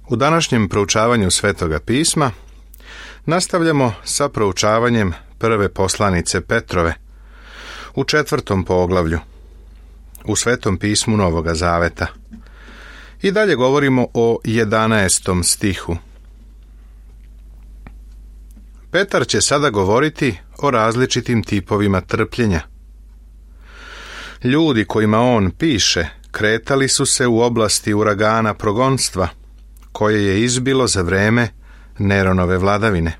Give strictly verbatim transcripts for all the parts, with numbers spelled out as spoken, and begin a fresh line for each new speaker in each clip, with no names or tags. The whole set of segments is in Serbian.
U današnjem proučavanju Svetoga pisma nastavljamo sa proučavanjem prve poslanice Petrove u četvrtom poglavlju u Svetom pismu Novoga Zaveta. I dalje govorimo o jedanaestom stihu. Petar će sada govoriti o različitim tipovima trpljenja. Ljudi kojima on piše kretali su se u oblasti uragana progonstva, koje je izbilo za vreme Neronove vladavine.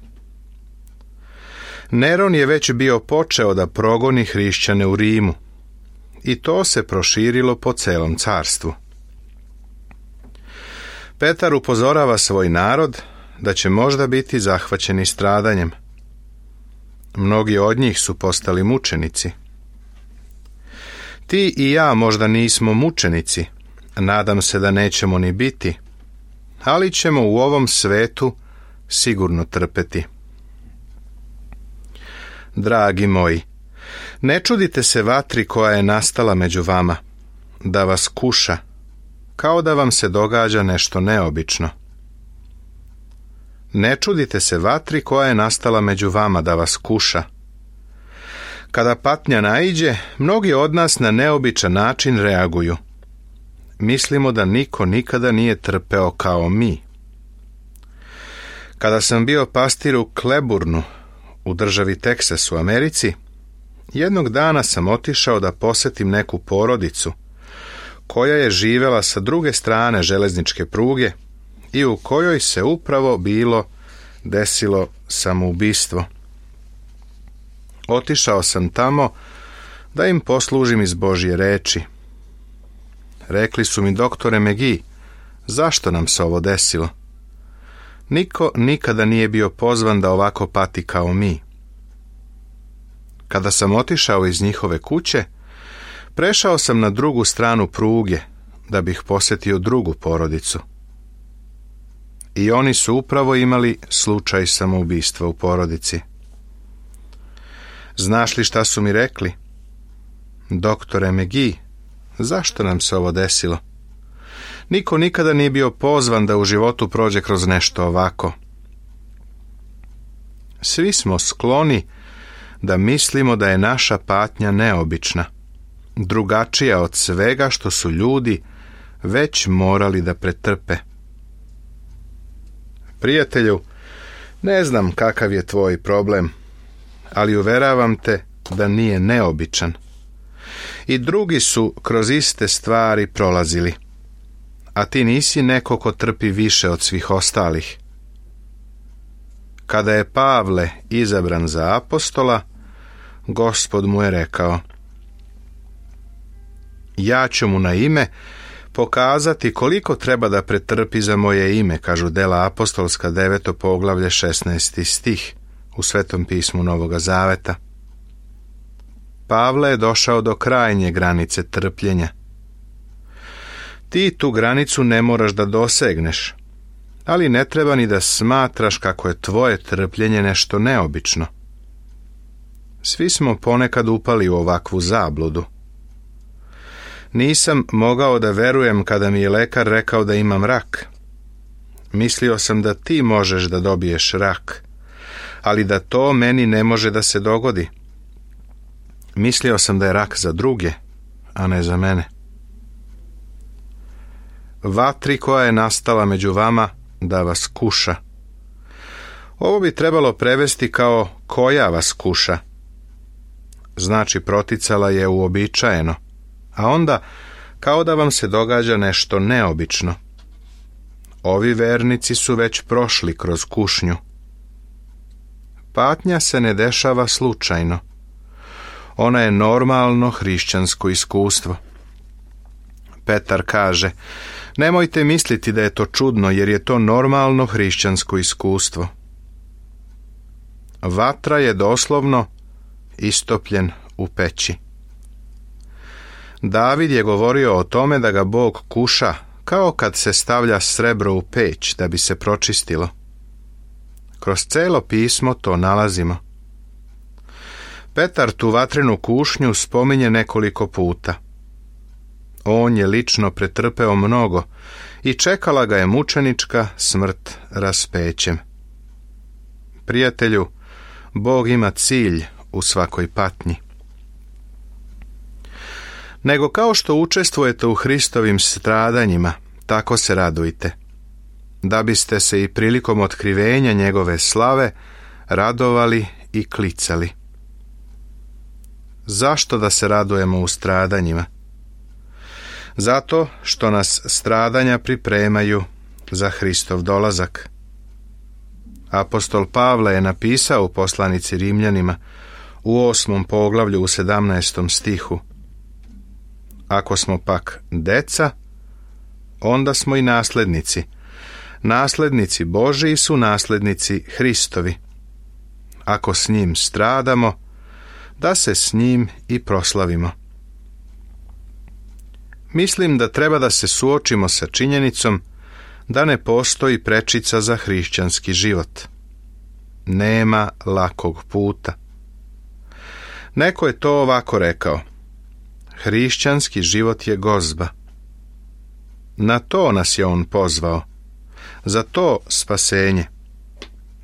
Neron je već bio počeo da progoni hrišćane u Rimu i to se proširilo po celom carstvu. Petar upozorava svoj narod da će možda biti zahvaćeni stradanjem. Mnogi od njih su postali mučenici. Ti i ja možda nismo mučenici, nadam se da nećemo ni biti, ali ćemo u ovom svetu sigurno trpeti. Dragi moji, ne čudite se vatri koja je nastala među vama, da vas kuša, kao da vam se događa nešto neobično. Ne čudite se vatri koja je nastala među vama da vas kuša. Kada patnja naiđe, mnogi od nas na neobičan način reaguju. Mislimo da niko nikada nije trpeo kao mi. Kada sam bio pastir u Kleburnu, u državi Teksas u Americi, jednog dana sam otišao da posetim neku porodicu koja je živela sa druge strane železničke pruge i u kojoj se upravo bilo desilo samoubistvo. Otišao sam tamo da im poslužim iz Božje reči. Rekli su mi: doktore Megi, zašto nam se ovo desilo? Niko nikada nije bio pozvan da ovako pati kao mi. Kada sam otišao iz njihove kuće, prešao sam na drugu stranu pruge da bih posjetio drugu porodicu. I oni su upravo imali slučaj samoubistva u porodici. Znaš li šta su mi rekli? Doktore Megi, zašto nam se ovo desilo? Niko nikada nije bio pozvan da u životu prođe kroz nešto ovako. Svi smo skloni da mislimo da je naša patnja neobična, drugačija od svega što su ljudi već morali da pretrpe. Prijatelju, ne znam kakav je tvoj problem, ali uveravam te da nije neobičan. I drugi su kroz iste stvari prolazili, a ti nisi neko ko trpi više od svih ostalih. Kada je Pavle izabran za apostola, Gospod mu je rekao: ja ću mu na ime pokazati koliko treba da pretrpi za moje ime, kažu Dela apostolska deveto poglavlje šesnaesti stih u Svetom pismu Novoga Zaveta. Pavle je došao do krajnje granice trpljenja. Ti tu granicu ne moraš da dosegneš, ali ne treba ni da smatraš kako je tvoje trpljenje nešto neobično. Svi smo ponekad upali u ovakvu zabludu. Nisam mogao da verujem kada mi je lekar rekao da imam rak. Mislio sam da ti možeš da dobiješ rak, ali da to meni ne može da se dogodi. Mislio sam da je rak za druge, a ne za mene. Vatri koja je nastala među vama da vas kuša. Ovo bi trebalo prevesti kao koja vas kuša. Znači proticala je uobičajeno, a onda kao da vam se događa nešto neobično. Ovi vernici su već prošli kroz kušnju. Patnja se ne dešava slučajno. Ona je normalno hrišćansko iskustvo. Petar kaže: nemojte misliti da je to čudno, jer je to normalno hrišćansko iskustvo. Vatra je doslovno istopljen u peći. David je govorio o tome da ga Bog kuša, kao kad se stavlja srebro u peć da bi se pročistilo. Kroz celo pismo to nalazimo. Petar tu vatrenu kušnju spominje nekoliko puta. On je lično pretrpeo mnogo i čekala ga je mučenička smrt raspećem. Prijatelju, Bog ima cilj u svakoj patnji. Nego kao što učestvujete u Hristovim stradanjima, tako se radujte, da biste se i prilikom otkrivenja njegove slave radovali i klicali. Zašto da se radujemo u stradanjima? Zato što nas stradanja pripremaju za Hristov dolazak. Apostol Pavle je napisao u poslanici Rimljanima u osmom poglavlju u sedamnaestom stihu: Ako smo pak deca, onda smo i naslednici. Naslednici Božiji su naslednici Hristovi. Ako s njim stradamo, da se s njim i proslavimo. Mislim da treba da se suočimo sa činjenicom da ne postoji prečica za hrišćanski život. Nema lakog puta. Neko je to ovako rekao: hrišćanski život je gozba. Na to nas je on pozvao, za to spasenje,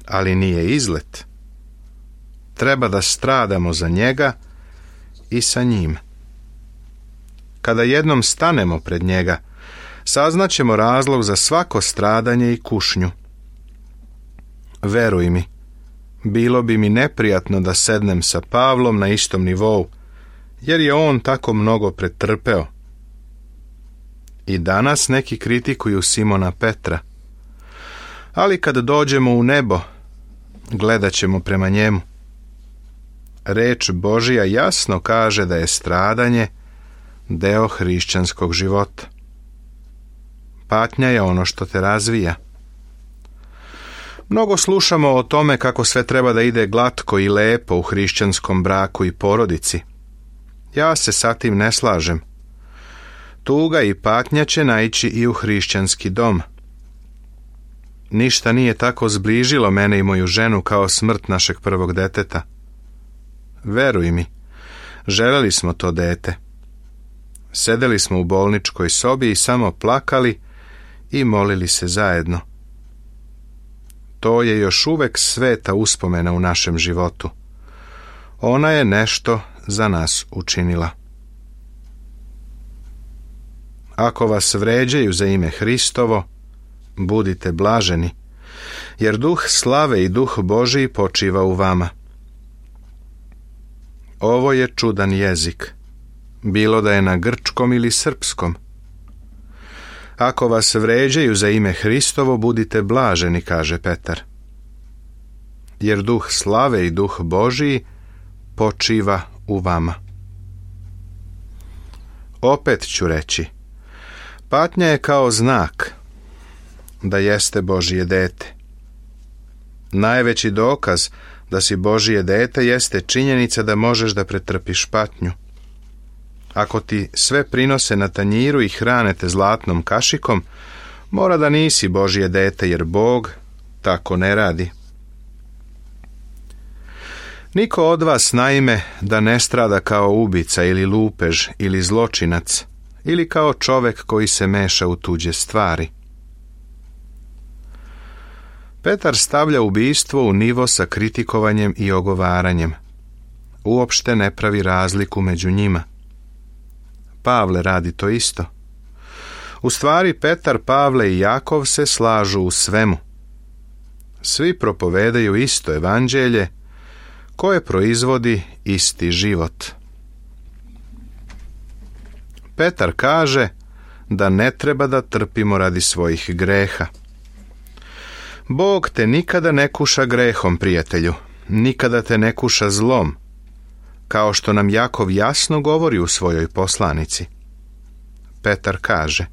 ali nije izlet. Treba da stradamo za njega i sa njim. Kada jednom stanemo pred njega, saznaćemo razlog za svako stradanje i kušnju. Veruj mi, bilo bi mi neprijatno da sednem sa Pavlom na istom nivou, jer je on tako mnogo pretrpeo. I danas neki kritikuju Simona Petra, ali kad dođemo u nebo, gledat ćemo prema njemu. Reč Božija jasno kaže da je stradanje deo hrišćanskog života. Patnja je ono što te razvija. Mnogo slušamo o tome kako sve treba da ide glatko i lepo u hrišćanskom braku i porodici. Ja se sa tim ne slažem. Tuga i patnja će naići i u hrišćanski dom. Ništa nije tako zbližilo mene i moju ženu kao smrt našeg prvog deteta. Veruj mi, želeli smo to dete. Sedeli smo u bolničkoj sobi i samo plakali i molili se zajedno. To je još uvek sveta uspomena u našem životu. Ona je nešto za nas učinila. Ako vas vređaju za ime Hristovo, budite blaženi, jer duh slave i duh Božiji počiva u vama. Ovo je čudan jezik, bilo da je na grčkom ili srpskom. Ako vas vređaju za ime Hristovo, budite blaženi, kaže Petar, jer duh slave i duh Božiji počiva u vama. Opet ću reći, patnja je kao znak da jeste Božije dete. Najveći dokaz da si Božije dete jeste činjenica da možeš da pretrpiš patnju. Ako ti sve prinose na tanjiru i hrane te zlatnom kašikom, mora da nisi Božje dete, jer Bog tako ne radi. Niko od vas, naime, da ne strada kao ubica ili lupež ili zločinac ili kao čovek koji se meša u tuđe stvari. Petar stavlja ubistvo u nivo sa kritikovanjem i ogovaranjem. Uopšte ne pravi razliku među njima. Pavle radi to isto. U stvari, Petar, Pavle i Jakov se slažu u svemu. Svi propovedaju isto evanđelje koje proizvodi isti život. Petar kaže da ne treba da trpimo radi svojih greha. Bog te nikada ne kuša grehom, prijatelju, nikada te ne kuša zlom, kao što nam Jakov jasno govori u svojoj poslanici. Petar kaže: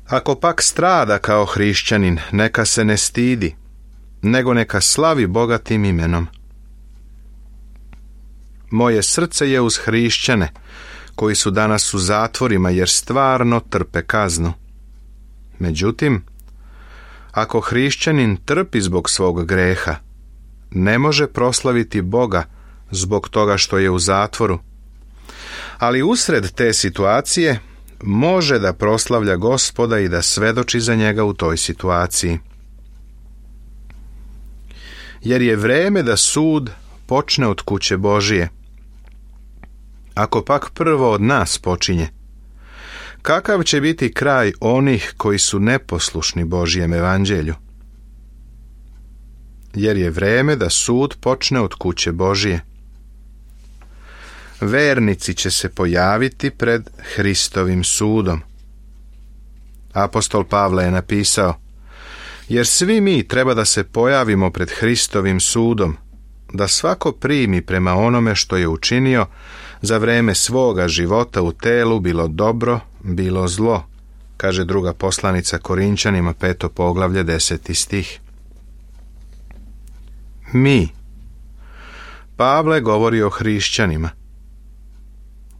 ako pak strada kao hrišćanin, neka se ne stidi, nego neka slavi Boga tim imenom. Moje srce je uz hrišćane, koji su danas u zatvorima jer stvarno trpe kaznu. Međutim, ako hrišćanin trpi zbog svog greha, ne može proslaviti Boga zbog toga što je u zatvoru. Ali usred te situacije može da proslavlja Gospoda i da svedoči za njega u toj situaciji. Jer je vreme da sud počne od kuće Božije. Ako pak prvo od nas počinje, kakav će biti kraj onih koji su neposlušni Božjem evanđelju? Jer je vreme da sud počne od kuće Božije. Vernici će se pojaviti pred Hristovim sudom. Apostol Pavle je napisao: jer svi mi treba da se pojavimo pred Hristovim sudom, da svako primi prema onome što je učinio za vreme svoga života u telu, bilo dobro, bilo zlo, kaže druga poslanica Korinćanima, peto poglavlje, deseti stih. Mi. Pavle govori o hrišćanima.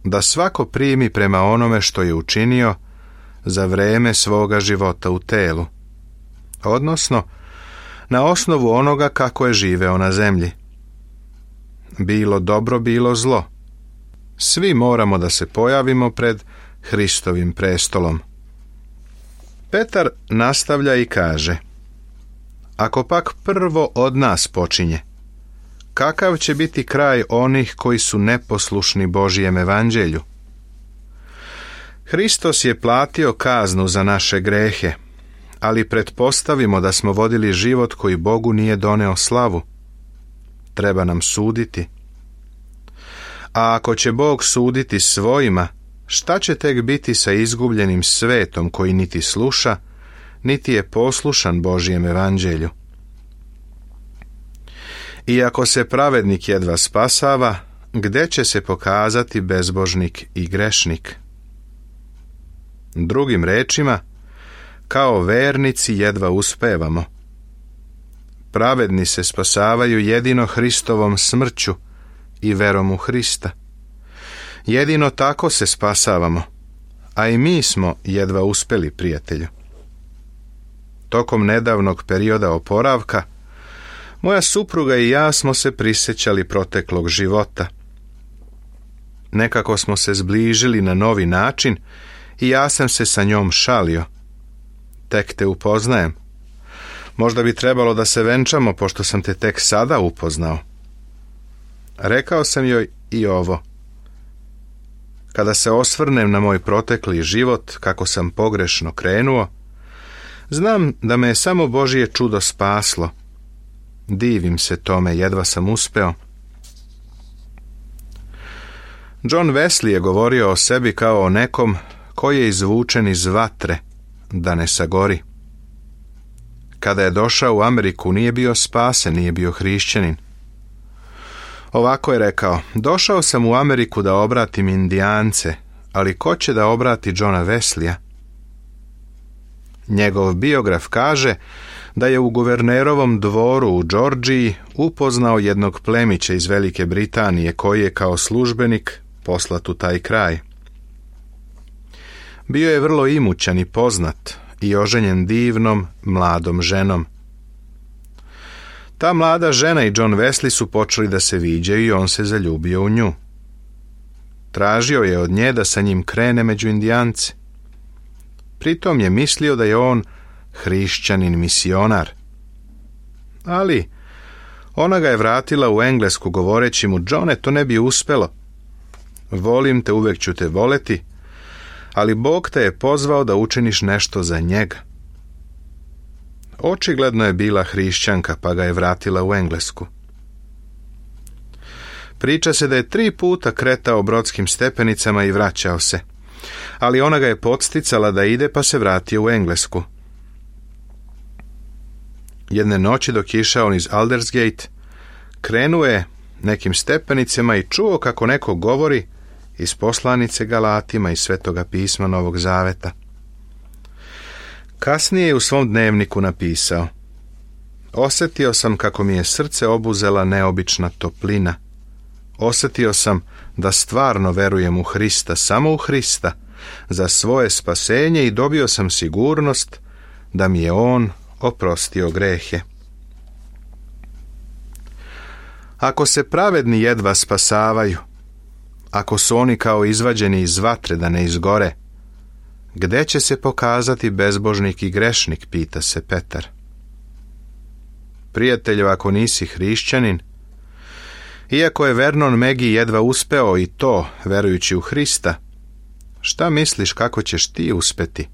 Da svako primi prema onome što je učinio za vreme svoga života u telu, odnosno na osnovu onoga kako je živeo na zemlji. Bilo dobro, bilo zlo. Svi moramo da se pojavimo pred Hristovim prestolom. Petar nastavlja i kaže: ako pak prvo od nas počinje, kakav će biti kraj onih koji su neposlušni Božijem evanđelju? Hristos je platio kaznu za naše grehe, ali pretpostavimo da smo vodili život koji Bogu nije doneo slavu. Treba nam suditi. A ako će Bog suditi svojima, šta će tek biti sa izgubljenim svetom koji niti sluša, niti je poslušan Božijem evanđelju? I ako se pravednik jedva spasava, gde će se pokazati bezbožnik i grešnik? Drugim rečima, kao vernici jedva uspevamo. Pravedni se spasavaju jedino Hristovom smrću i verom u Hrista. Jedino tako se spasavamo, a i mi smo jedva uspeli, prijatelju. Tokom nedavnog perioda oporavka, moja supruga i ja smo se prisjećali proteklog života. Nekako smo se zbližili na novi način i ja sam se sa njom šalio. Tek te upoznajem. Možda bi trebalo da se venčamo, pošto sam te tek sada upoznao. Rekao sam joj i ovo: kada se osvrnem na moj protekli život, kako sam pogrešno krenuo, znam da me je samo Božje čudo spaslo. Divim se tome, jedva sam uspeo. John Wesley je govorio o sebi kao o nekom koji je izvučen iz vatre, da ne sagori. Kada je došao u Ameriku, nije bio spasen, nije bio hrišćanin. Ovako je rekao: došao sam u Ameriku da obratim Indijance, ali ko će da obrati Johna Wesleya? Njegov biograf kaže da je u guvernerovom dvoru u Džordžiji upoznao jednog plemića iz Velike Britanije koji je kao službenik poslat u taj kraj. Bio je vrlo imućan i poznat i oženjen divnom, mladom ženom. Ta mlada žena i John Wesley su počeli da se viđaju i on se zaljubio u nju. Tražio je od nje da sa njim krene među Indijance. Pritom je mislio da je on hrišćanin misionar. Ali ona ga je vratila u Englesku govoreći mu: Johne, to ne bi uspelo. Volim te, uvek ću te voleti, ali Bog te je pozvao da učiniš nešto za njega. Očigledno je bila hrišćanka, pa ga je vratila u Englesku. Priča se da je tri puta kretao brodskim stepenicama i vraćao se, ali ona ga je podsticala da ide, pa se vratio u Englesku. Jedne noći dok je išao iz Aldersgate, krenuo je nekim stepenicama i čuo kako neko govori iz poslanice Galatima iz Svetoga pisma Novog Zaveta. Kasnije je u svom dnevniku napisao: osjetio sam kako mi je srce obuzela neobična toplina. Osjetio sam da stvarno verujem u Hrista, samo u Hrista, za svoje spasenje i dobio sam sigurnost da mi je On oprostio grehe. Ako se pravedni jedva spasavaju, ako su oni kao izvađeni iz vatre da ne izgore, Gde će se pokazati bezbožnik i grešnik, pita se Petar. Prijatelju, ako nisi hrišćanin, iako je Vernon Megi jedva uspeo i to, verujući u Hrista, šta misliš kako ćeš ti uspeti?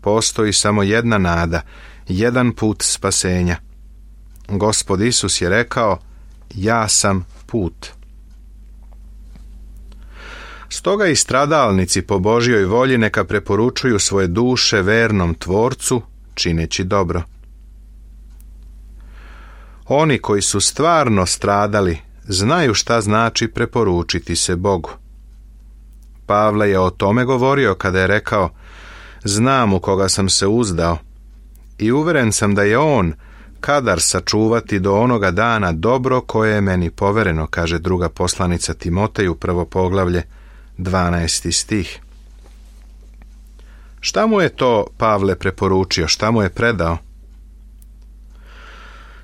Postoji samo jedna nada, jedan put spasenja. Gospod Isus je rekao, ja sam put. Stoga i stradalnici po Božjoj volji neka preporučuju svoje duše vernom Tvorcu, čineći dobro. Oni koji su stvarno stradali, znaju šta znači preporučiti se Bogu. Pavle je o tome govorio kada je rekao, znam u koga sam se uzdao i uveren sam da je on kadar sačuvati do onoga dana dobro koje je meni povereno, kaže druga poslanica Timoteju, prvo poglavlje, dvanaesti stih. Šta mu je to Pavle preporučio, šta mu je predao?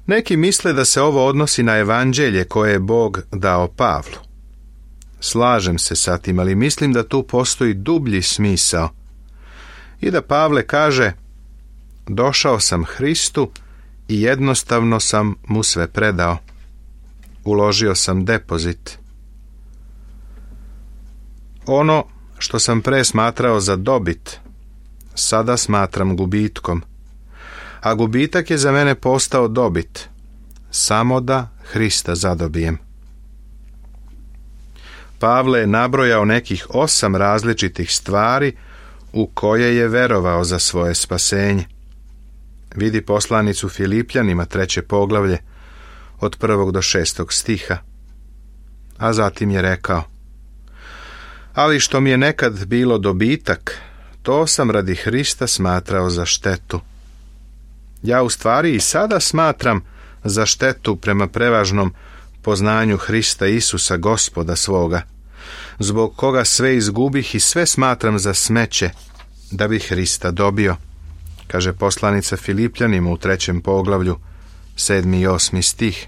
Neki misle da se ovo odnosi na evanđelje koje je Bog dao Pavlu. Slažem se sa tim, ali mislim da tu postoji dublji smisao i da Pavle kaže, došao sam Hristu i jednostavno sam mu sve predao. Uložio sam depozit. Ono što sam pre smatrao za dobit, sada smatram gubitkom, a gubitak je za mene postao dobit, samo da Hrista zadobijem. Pavle je nabrojao nekih osam različitih stvari u koje je verovao za svoje spasenje. Vidi poslanicu Filipljanima, treće poglavlje, od prvog do šestog stiha. A zatim je rekao, ali što mi je nekad bilo dobitak, to sam radi Hrista smatrao za štetu. Ja u stvari i sada smatram za štetu prema prevažnom poznanju Hrista Isusa, Gospoda svoga, zbog koga sve izgubih i sve smatram za smeće, da bi Hrista dobio, kaže poslanica Filipljanima u trećem poglavlju, sedmi i osmi stih,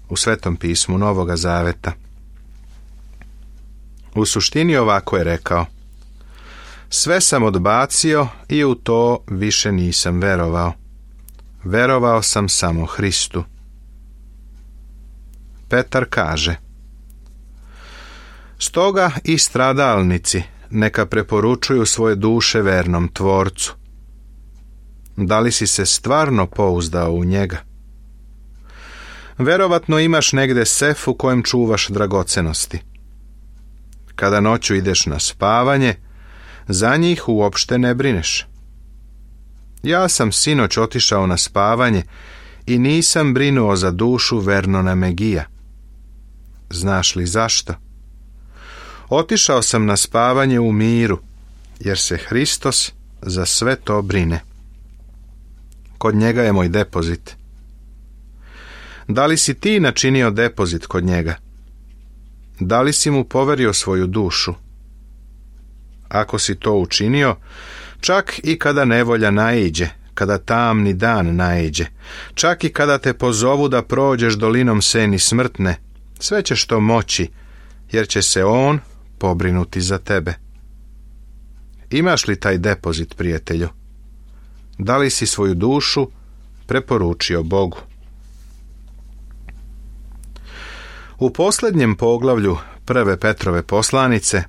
u Svetom pismu Novoga Zaveta. U suštini ovako je rekao, sve sam odbacio i u to više nisam verovao. Verovao sam samo Hristu. Petar kaže, stoga i stradalnici neka preporučuju svoje duše vernom Tvorcu. Da li si se stvarno pouzdao u njega? Verovatno imaš negde sef u kojem čuvaš dragocenosti. Kada noću ideš na spavanje, za njih uopšte ne brineš. Ja sam sinoć otišao na spavanje i nisam brinuo za dušu Vernona Megija. Znaš li zašto? Otišao sam na spavanje u miru, jer se Hristos za sve to brine. Kod njega je moj depozit. Da li si ti načinio depozit kod njega? Da li si mu poverio svoju dušu? Ako si to učinio, čak i kada nevolja naiđe, kada tamni dan naiđe, čak i kada te pozovu da prođeš dolinom seni smrtne, sve ćeš to moći, jer će se on pobrinuti za tebe. Imaš li taj depozit, prijatelju? Da li si svoju dušu preporučio Bogu? U posljednjem poglavlju prve Petrove poslanice,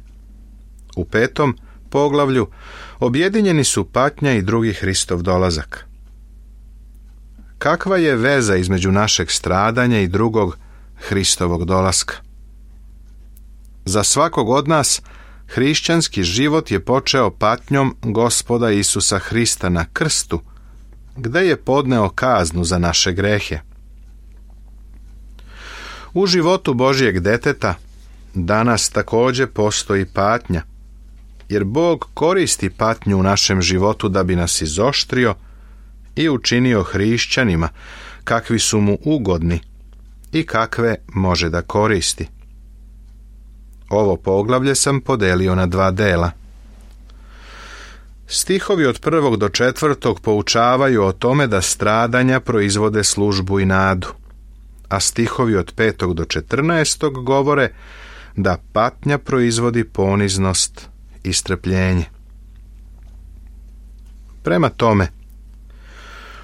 u petom poglavlju, objedinjeni su patnja i drugi Hristov dolazak. Kakva je veza između našeg stradanja i drugog Hristovog dolaska? Za svakog od nas hrišćanski život je počeo patnjom Gospoda Isusa Hrista na krstu, gde je podneo kaznu za naše grehe. U životu Božjeg deteta danas također postoji patnja, jer Bog koristi patnju u našem životu da bi nas izoštrio i učinio hrišćanima kakvi su mu ugodni i kakve može da koristi. Ovo poglavlje sam podelio na dva dela. Stihovi od prvog do četvrtog poučavaju o tome da stradanja proizvode službu i nadu, a stihovi od petog do četrnaestog govore da patnja proizvodi poniznost i strpljenje. Prema tome,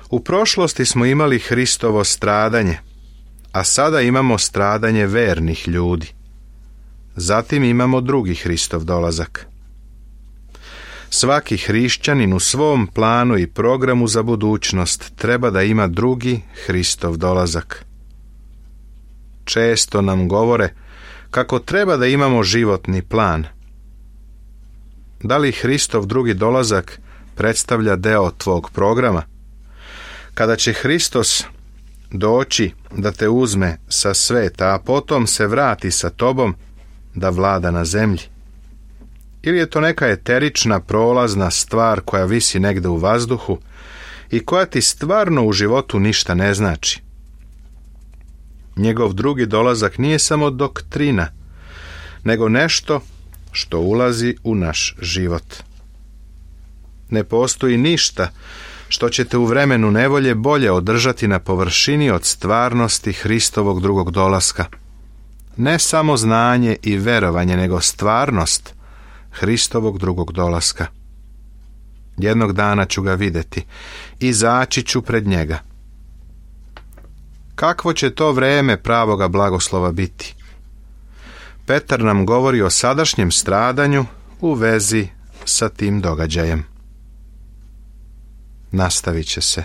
u prošlosti smo imali Hristovo stradanje, a sada imamo stradanje vernih ljudi. Zatim imamo drugi Hristov dolazak. Svaki hrišćanin u svom planu i programu za budućnost treba da ima drugi Hristov dolazak. Često nam govore kako treba da imamo životni plan. Da li Hristov drugi dolazak predstavlja deo tvog programa? Kada će Hristos doći da te uzme sa sveta, a potom se vrati sa tobom da vlada na zemlji? Ili je to neka eterična, prolazna stvar koja visi negde u vazduhu i koja ti stvarno u životu ništa ne znači? Njegov drugi dolazak nije samo doktrina, nego nešto što ulazi u naš život. Ne postoji ništa što će te u vremenu nevolje bolje održati na površini od stvarnosti Hristovog drugog dolaska. Ne samo znanje i verovanje, nego stvarnost Hristovog drugog dolaska. Jednog dana ću ga vidjeti, izaći ću pred njega. Kakvo će to vreme pravoga blagoslova biti? Petar nam govori o sadašnjem stradanju u vezi sa tim događajem. Nastavit će se.